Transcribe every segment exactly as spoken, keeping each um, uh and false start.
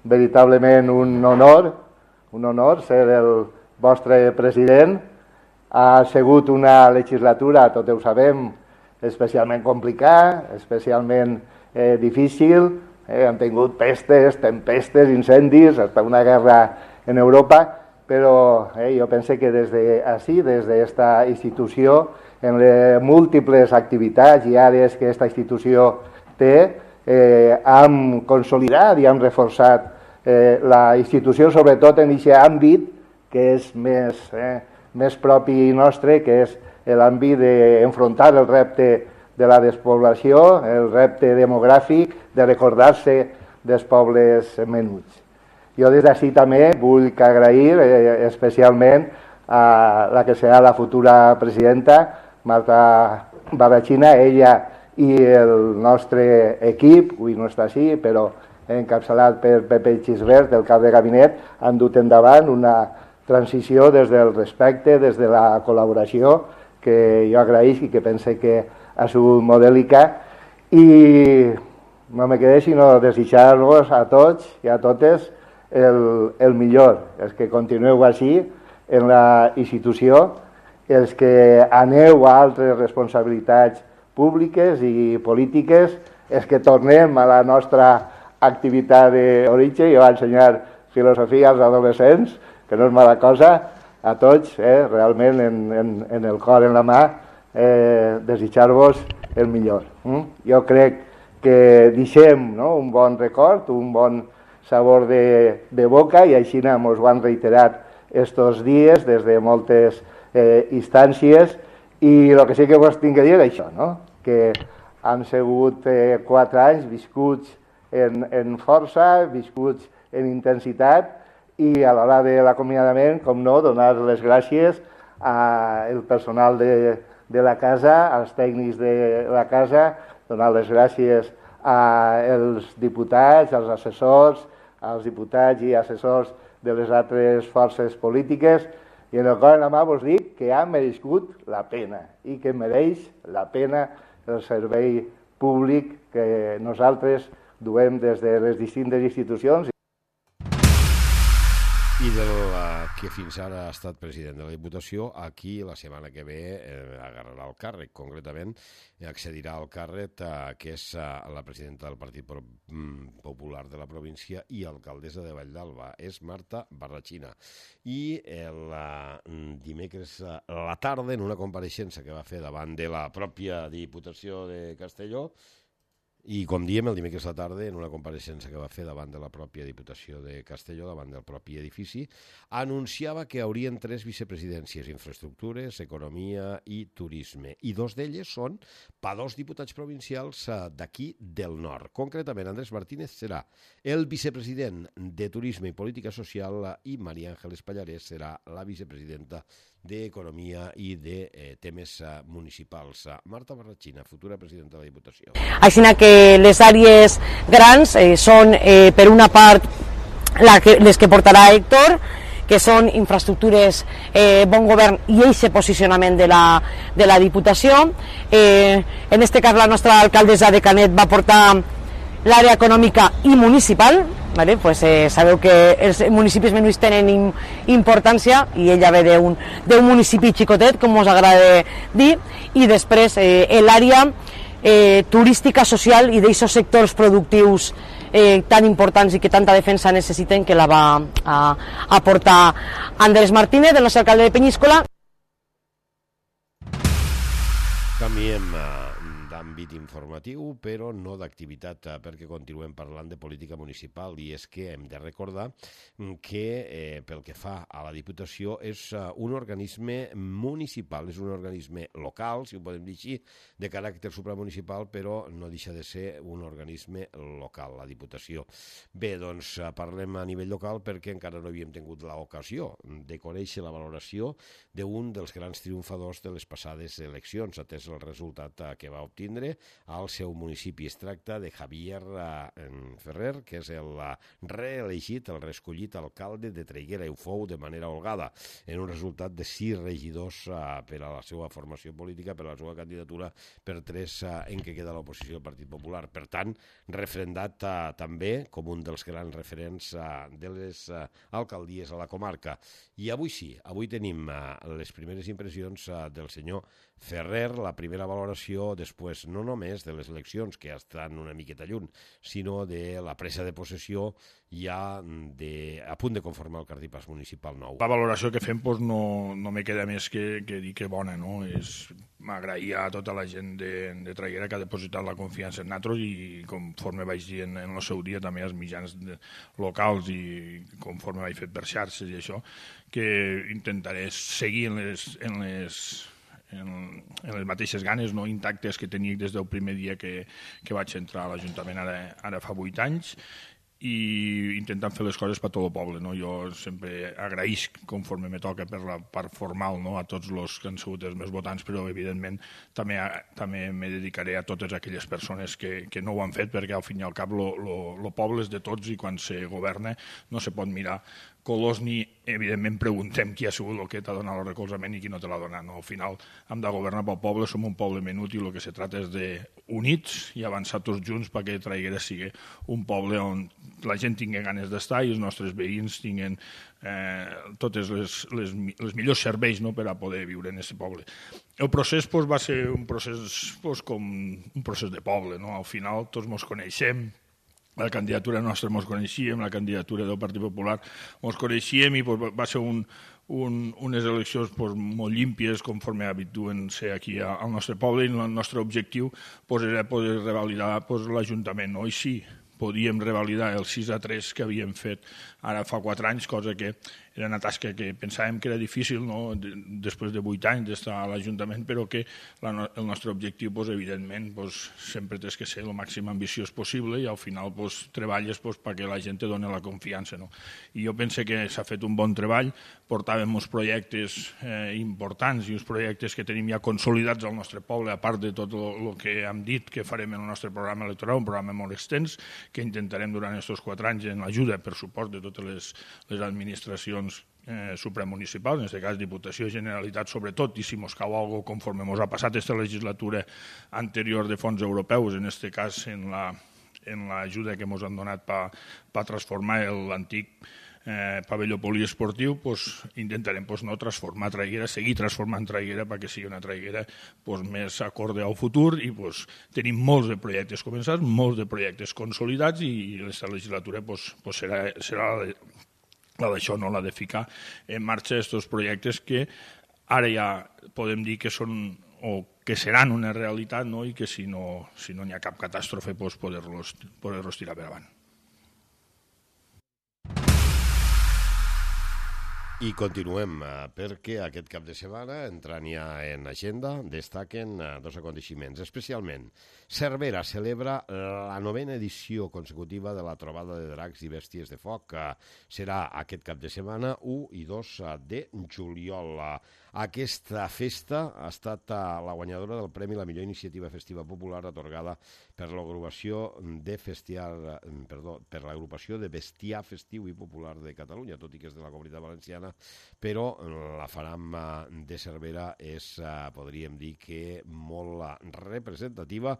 veritablement un honor, un honor ser el vostre president. Ha sigut una legislatura, tot ho sabem, especialment complicada, especialment eh, difícil. Eh, hem tingut pestes, tempestes, incendis, hasta una guerra en Europa, però eh, jo penso que des d'ací, des d'esta institució, en les múltiples activitats i àrees que aquesta institució té, eh, hem consolidat i hem reforçat eh, la institució, sobretot en aquest àmbit que és més, eh, més propi nostre, que és l'àmbit d'enfrontar el repte de la despoblació, el repte demogràfic, de recordar-se dels pobles menuts. Jo des d'ací també vull agrair eh, especialment a la que serà la futura presidenta, Marta Barrachina, ella i el nostre equip, avui no està així, però encapçalat per Pepe Xisbert, del cap de gabinet, han dut endavant una transició des del respecte, des de la col·laboració, que jo agraïsc i que pense que ha sigut modèlica. I no me quedé sinó desitjar-vos a tots i a totes el, el millor, els que continueu així en la institució, els que aneu a altres responsabilitats públiques i polítiques, els que tornem a la nostra activitat d'origen. Jo vaig ensenyar filosofia als adolescents, que no és mala cosa, a tots, eh, realment en, en, en el cor, en la mà, eh, desitjar-vos el millor. Mm? Jo crec que deixem, no?, un bon record, un bon sabor de, de boca, i així ens ho han reiterat estos dies des de moltes eh, instàncies, i el que sí que vos tinc a dir és això, no?, que han sigut eh, quatre anys viscuts en, en força, viscuts en intensitat, i a l'hora de l'acomiadament, com no, donar les gràcies al personal de, de la casa, als tècnics de la casa, donar les gràcies als diputats, als assessors, als diputats i assessors de les altres forces polítiques, i en el cor en la mà vos dic que ha merescut la pena i que mereix la pena el servei públic que nosaltres duem des de les distintes institucions. I del que fins ara ha estat president de la Diputació, aquí la setmana que ve eh, agarrarà el càrrec, concretament accedirà al càrrec eh, que és eh, la presidenta del Partit Popular de la província i alcaldessa de Valldalba, és Marta Barrachina. I el eh, dimecres a la tarda, en una compareixença que va fer davant de la pròpia Diputació de Castelló, i com diem, el dimecres a la tarda, en una compareixença que va fer davant de la pròpia Diputació de Castelló, davant del propi edifici, anunciava que haurien tres vicepresidències: infraestructures, economia i turisme. I dos d'elles són per dos diputats provincials d'aquí del nord. Concretament, Andrés Martínez serà el vicepresident de Turisme i Política Social i María Ángeles Pallarés serà la vicepresidenta d'Economia i de eh, temes eh, municipals. Marta Barrachina, futura presidenta de la Diputació. Així que les àrees grans eh, són, eh, per una part, la que, les que portarà Héctor, que són infraestructures, eh, bon govern i eixe posicionament de la, de la Diputació. Eh, en este cas, la nostra alcaldessa de Canet va portar l'àrea econòmica i municipal. Vale, pues, eh, sabeu que els municipis menuts tenen im, importància, i ella ve d'un municipi xicotet, com us agrada dir, i després eh, l'àrea eh, turística, social i d'aquests sectors productius eh, tan importants i que tanta defensa necessiten, que la va a, a portar Andrés Martínez, el nostre alcalde de Penyíscola. Canviem d'àmbit informatiu, però no d'activitat, perquè continuem parlant de política municipal, i és que hem de recordar que eh, pel que fa a la Diputació és un organisme municipal, és un organisme local, si ho podem dir així, de caràcter supramunicipal, però no deixa de ser un organisme local, la Diputació. Bé, doncs parlem a nivell local perquè encara no havíem tingut l'ocasió de conèixer la valoració d'un dels grans triomfadors de les passades eleccions, atès el resultat que va obtenir tindre al seu municipi. Es tracta de Javier Ferrer, que és el reelegit, el reescollit alcalde de Traiguera, i ho fou de manera holgada, en un resultat de sis regidors per a la seva formació política, per a la seva candidatura, per tres en què queda l'oposició del Partit Popular. Per tant, refrendat també com un dels grans referents de les alcaldies a la comarca. I avui sí, avui tenim les primeres impressions del senyor Ferrer, la primera valoració després no només de les eleccions, que estan una miqueta lluny, sinó de la presa de possessió ja de, a punt de conformar el cartipàs municipal nou. La valoració que fem doncs, no, no me queda més que, que dir que bona, no? És m'agrair a tota la gent de, de Traiguera que ha depositat la confiança en nosaltres i conforme vaig dir en, en el seu dia també als mitjans de, locals i conforme vaig fet per xarxes i això, que intentaré seguir en les, en les, en, en les mateixes ganes no intactes que tenia des del primer dia que, que vaig entrar a l'Ajuntament ara, ara fa vuit anys, i intentant fer les coses per tot el poble. No? Jo sempre agraïsc, conforme me toca per la part formal, no? A tots els que han sigut els meus votants, però evidentment també, també me dedicaré a totes aquelles persones que, que no ho han fet, perquè al fin i al cap el poble és de tots i quan se governa no se pot mirar colors ni, evidentment, preguntem qui ha sigut el que t'ha donat el recolzament i qui no te l'ha donat. No? Al final hem de governar pel poble, som un poble menut i el que se trata és d'units i avançar tots junts perquè Traiguera sigui un poble on la gent tingui ganes d'estar i els nostres veïns tinguin eh, tots les, les, les millors serveis no, per a poder viure en aquest poble. El procés pues, va ser un procés pues, com un procés de poble. No? Al final tots ens coneixem, la candidatura nostra ens coneixíem, la candidatura del Partit Popular ens coneixíem i pues, va ser un, un, unes eleccions pues, molt límpies conforme habituen ser aquí al nostre poble i el nostre objectiu pues, era poder revalidar pues, l'Ajuntament. No? I sí, podíem revalidar el sis a tres que havíem fet ara fa quatre anys, cosa que era una tasca que pensàvem que era difícil no? Després de vuit anys d'estar a l'Ajuntament, però que la, el nostre objectiu, pues, evidentment, pues, sempre té que ser el màxim ambiciós possible i al final pues, treballes pues, perquè la gent te doni la confiança. No? I jo penso que s'ha fet un bon treball, portàvem uns projectes eh, importants i uns projectes que tenim ja consolidats al nostre poble, a part de tot el que hem dit que farem en el nostre programa electoral, un programa molt extens, que intentarem durant aquests quatre anys en l'ajuda, per suport, de totes les, les administracions Eh, supramunicipals, en aquest cas Diputació, Generalitat sobretot, i si mos cau alguna cosa conforme mos ha passat aquesta legislatura anterior de fons europeus, en aquest cas en la en l'ajuda que mos han donat per pa transformar l'antic eh, pavelló poliesportiu, pues, intentarem pues, no transformar Traiguera, seguir transformant Traiguera perquè sigui una Traiguera pues, més acorde al futur i pues, tenim molts de projectes començats, molts de projectes consolidats i aquesta legislatura pues, pues, serà, serà la de la d'això, no la de ficar en marxa aquests projectes que ara ja podem dir que són o que seran una realitat no? I que si no si no hi ha cap catàstrofe pues, poder-los poder-los tirar per avant. I continuem, perquè aquest cap de setmana, entrant ja en agenda, destaquen dos aconteixements. Especialment, Cervera celebra la novena edició consecutiva de la trobada de dracs i bèsties de foc, que serà aquest cap de setmana u i dos de juliol. Aquesta festa ha estat la guanyadora del Premi La Millor Iniciativa Festiva Popular atorgada per l'agrupació de festiar, perdó, per l'agrupació de bestiar festiu i popular de Catalunya, tot i que és de la Comunitat Valenciana, però la Faram de Cervera és, podríem dir que molt representativa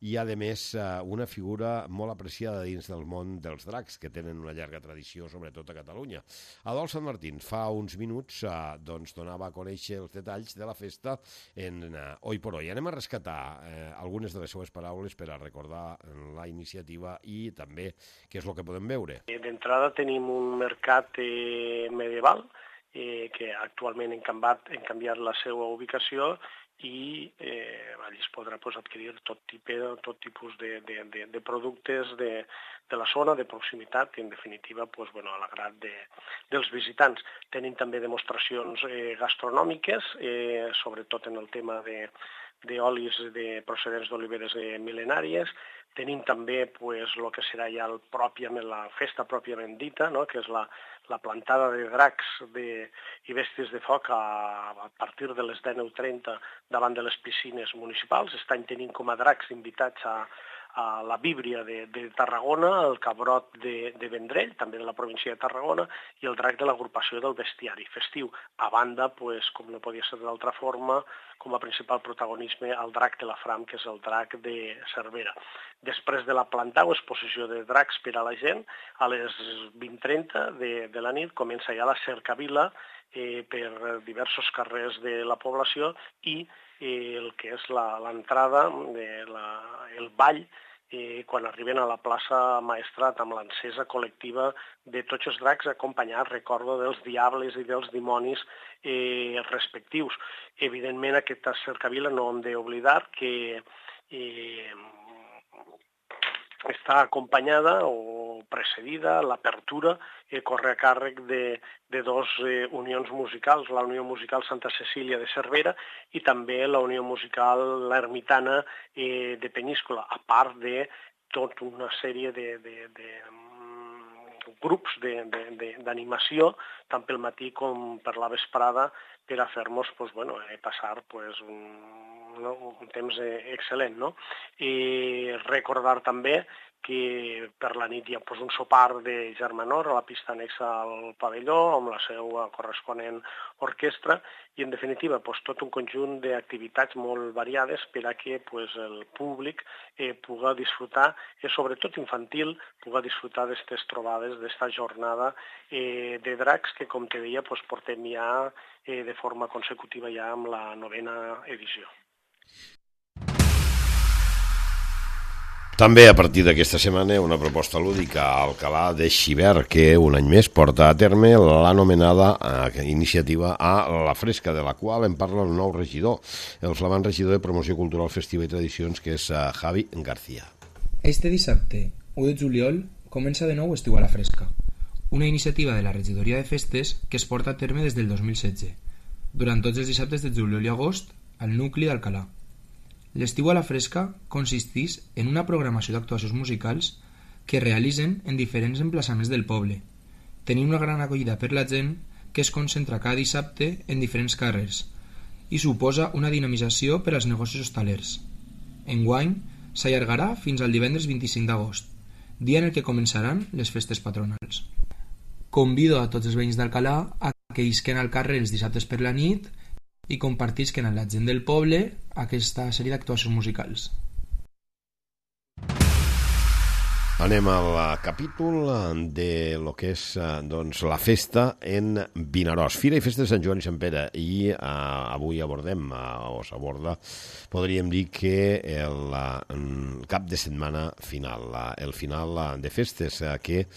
i, a més, una figura molt apreciada dins del món dels dracs, que tenen una llarga tradició, sobretot a Catalunya. Adolf Sant Martín fa uns minuts doncs, donava a conèixer els detalls de la festa en Oi por Hoy. Anem a rescatar eh, algunes de les seues paraules per a recordar la iniciativa i també què és el que podem veure. D'entrada tenim un mercat eh, medieval eh, que actualment hem canviat, hem canviat la seva ubicació i eh, allí es podrà pues, adquirir tot tipus, tot tipus de, de, de, de productes de, de la zona, de proximitat, i en definitiva pues, bueno, a l'agrat de, dels visitants. Tenim també demostracions eh, gastronòmiques, eh, sobretot en el tema de d'olis de procedents d'oliveres eh, mil·lenàries, Tenim també pues, el que serà ja el pròpiament, la festa pròpiament dita, no? Que és la, la plantada de dracs de, i bèsties de foc a, a partir de les dinou trenta davant de les piscines municipals. Estan tenint com a dracs invitats a, a la Bíblia de, de Tarragona, el Cabrot de, de Vendrell, també de la província de Tarragona, i el drac de l'agrupació del bestiari festiu. A banda, pues, com no podia ser d'altra forma, com a principal protagonisme el drac de la Fram, que és el drac de Cervera. Després de la planta o exposició de dracs per a la gent, a les vint trenta de, de la nit comença ja la cercavila eh, per diversos carrers de la població i eh, el que és l'entrada, el ball, eh, quan arriben a la plaça Maestrat amb l'encesa col·lectiva de tots els dracs acompanyats, recordo, dels diables i dels dimonis eh, respectius. Evidentment, aquesta cercavila no hem d'oblidar que eh, està acompanyada o precedida, l'apertura eh, corre a càrrec de, de dos eh, unions musicals, la Unió Musical Santa Cecília de Cervera i també la Unió Musical l'Ermitana eh, de Peníscola, a part de tota una sèrie de, de, de grups d'animació, tant pel matí com per la vesprada, per a fer-nos pues, bueno, eh, passar pues, un, no, un temps eh, excel·lent. No? I recordar també que per la nit hi ha pues, un sopar de germanor a la pista anexa al pavelló, amb la seva corresponent orquestra, i en definitiva pues, tot un conjunt d'activitats molt variades per a que pues, el públic eh, pugui disfrutar, eh, sobretot infantil, pugui disfrutar d'aquestes trobades, d'esta jornada eh, de dracs que, com te deia, pues, portem ja eh, de forma consecutiva ja amb la novena edició. També a partir d'aquesta setmana una proposta lúdica a Alcalà de Xivert que un any més porta a terme l'anomenada eh, iniciativa a la Fresca, de la qual en parla el nou regidor, el flamant regidor de Promoció Cultural, Festiva i Tradicions, que és eh, Javi García. Este dissabte, u de juliol, comença de nou Estiu a la Fresca, una iniciativa de la Regidoria de Festes que es porta a terme des del dos mil setze, durant tots els dissabtes de juliol i agost, al nucli d'Alcalà. L'estiu a la Fresca consisteix en una programació d'actuacions musicals que realitzen en diferents emplaçaments del poble, tenint una gran acollida per la gent que es concentra cada dissabte en diferents carrers i suposa una dinamització per als negocis hostalers. Enguany s'allargarà fins al divendres vint-i-cinc d'agost, dia en el que començaran les festes patronals. Convido a tots els veïns d'Alcalà a que isquen al carrer els dissabtes per la nit i compartisquen amb la gent del poble aquesta sèrie d'actuacions musicals. Anem al capítol de lo que és doncs, la festa en Vinaròs. Fira i Festa de Sant Joan i Sant Pere. I uh, avui abordem, uh, o s'aborda, podríem dir que el uh, cap de setmana final, uh, el final uh, de festes, uh, que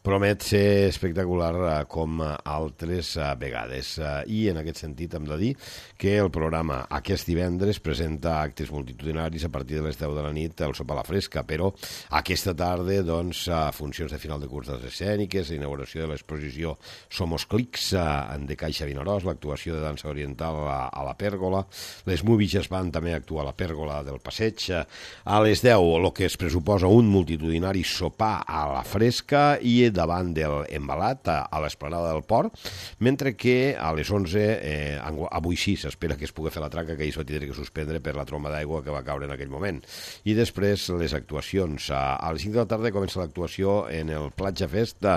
promet ser espectacular uh, com altres uh, vegades. Uh, I en aquest sentit hem de dir que el programa aquest divendres presenta actes multitudinaris a partir de les deu de la nit al sopar a la Fresca, però aquesta tarda doncs, a funcions de final de curs d'arts escèniques, inauguració de l'exposició Somos Clics de Caixa Vinaròs, l'actuació de dansa oriental a, a la Pèrgola, les Movies van també actuar a la Pèrgola del Passeig. A les deu, el que es pressuposa un multitudinari sopar a la Fresca i davant del Embalat, a, a l'Esplanada del Port, mentre que a les onze, eh, avui sí, s'espera que es pugui fer la traca, que ahir s'ho tindrà que suspendre per la tromba d'aigua que va caure en aquell moment. I després les actuacions. A, a les cinc de la tarda comença l'actuació en el Platja Festa,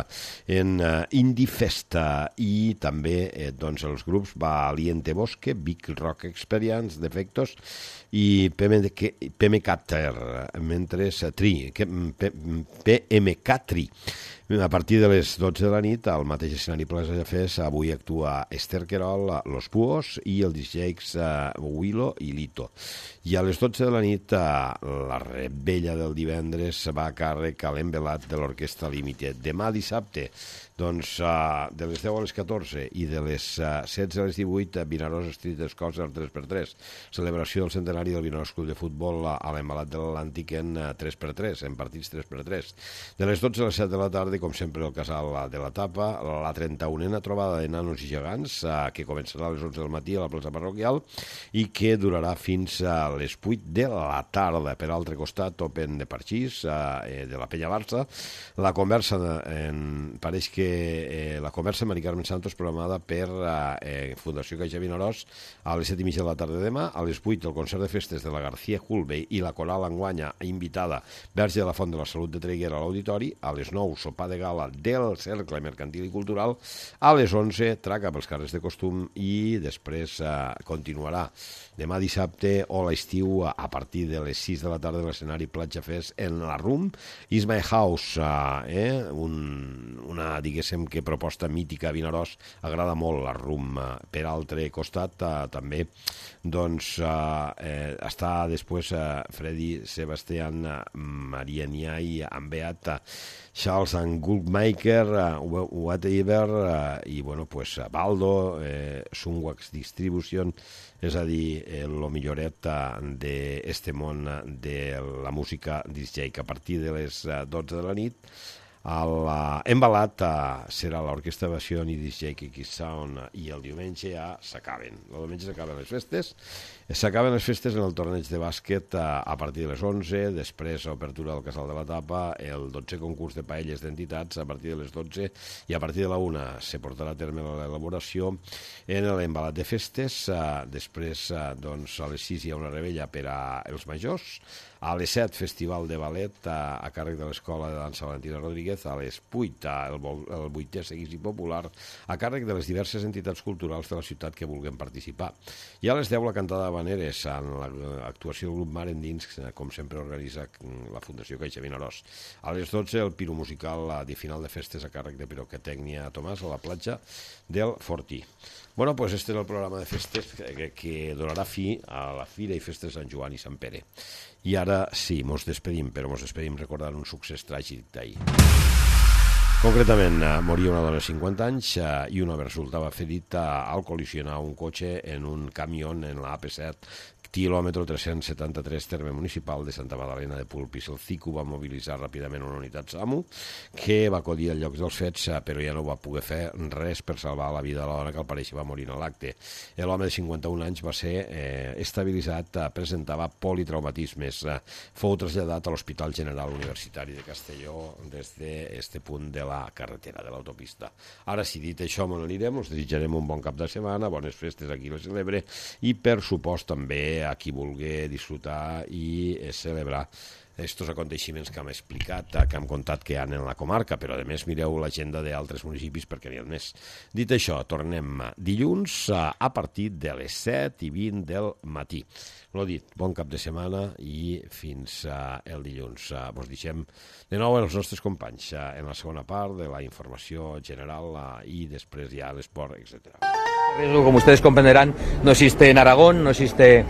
en uh, Indie Festa, i també eh, doncs els grups Valiente Bosque, Big Rock Experience, Defectos i P M K Ter, mentre Tri, P M K Tri. A partir de les dotze de la nit, al mateix escenari Plaça Fes, avui actua Esther Querol, Los Puos i el D Js uh, Willow i Lito. I a les dotze de la nit, uh, la rebella del divendres va a càrrec a l'Embelat de l'Orquestra Limited. Demà dissabte, doncs, uh, de les deu a les catorze i de les uh, setze a les divuit, Vinaròs Street Scouts tres per tres. Celebració del centenari del Vinaròs Club de Futbol a l'Embalat de l'Atlàntic en uh, tres per tres, en partits tres per tres. De les dotze a les set de la tarda tarda, com sempre, el casal de la Tapa, la trenta-unena trobada de nanos i gegants, eh, que començarà a les onze del matí a la plaça parroquial i que durarà fins a les vuit de la tarda. Per altre costat, Open de Parxís, eh, de la Penya Barça. La conversa, en, pareix que eh, la conversa amb Mari Carmen Santos programada per eh, Fundació Caixa Vinaròs a les set i mitja de la tarda demà. A les vuit el concert de festes de la García Hulbe i la coral enguanya invitada Verge de la Font de la Salut de Traiguera a l'Auditori. A les nou, sopar de gala del Cercle Mercantil i Cultural. A les onze, traca pels carrers de costum i després eh, continuarà demà dissabte o l'estiu a partir de les sis de la tarda de l'escenari Platja Fest en la Room Is My House, eh? Un, una, diguéssim, que proposta mítica a Vinaròs, agrada molt la Room. Per altre costat, eh, també, doncs, eh, està després eh, Freddy Sebastián, Maria Niai, Ambeat, Charles and Goldmaker, uh, Whatever, uh, i, bueno, pues, Baldo, eh, Sunwax Distribution, és a dir, el milloret d'este món de la música disc jockey, que a partir de les dotze de la nit l'embalat serà l'Orquestra Versió i disc jockey Kiss Sound, i el diumenge ja s'acaben. El diumenge s'acaben les festes. S'acaben les festes en el torneig de bàsquet a partir de les onze, després obertura del Casal de la Tapa, el dotzè concurs de paelles d'entitats a partir de les dotze, i a partir de la una se portarà a terme l'elaboració en l'embalat de festes. Després, doncs, a les sis hi ha una rebella per als majors. A les set, festival de ballet a, a càrrec de l'Escola de Dansa Valentina Rodríguez. A les vuit, el, el vuitè seguici popular a càrrec de les diverses entitats culturals de la ciutat que vulguin participar. I a les deu, la cantada de Habaneres, en l'actuació del grup Mar Endins, com sempre organitza la Fundació Caixa Vinaròs. A les dotze, el piro musical de final de festes a càrrec de Pirotècnia Tomàs a la platja del Fortí. Bueno, pues este és el programa de festes que, que donarà fi a la Fira i Festes de Sant Joan i Sant Pere. I ara sí, mos despedim, però mos despedim recordant un succés tràgic d'ahir. Concretament, moria una dona de cinquanta anys i un home resultava ferit al col·lisionar un cotxe en un camió en la A P set, quilòmetre tres-cents setanta-tres, terme municipal de Santa Magdalena de Polpís. El C I C U va mobilitzar ràpidament una unitat SAMU que va acudir al lloc dels fets, però ja no va poder fer res per salvar la vida de la dona, que al pareixer va morir en l'acte. L'home de cinquanta-un anys va ser eh, estabilitzat, presentava politraumatismes. Fou traslladat a l'Hospital General Universitari de Castelló des d'aquest punt de la carretera, de l'autopista. Ara, si dit això, me n'anirem, us desitjarem un bon cap de setmana, bones festes a qui les celebre, i per supost també a qui vulgui disfrutar i celebrar estos aconteixements que hem explicat, que hem contat que hi ha en la comarca, però a més mireu l'agenda d'altres municipis perquè n'hi ha més. Dit això, tornem dilluns a partir de les set i vint del matí. L'ho dit, bon cap de setmana i fins el dilluns. Vos deixem de nou els nostres companys en la segona part de la informació general i després ja l'esport, etcètera. Como ustedes comprenderán, no existe en Aragón, no existe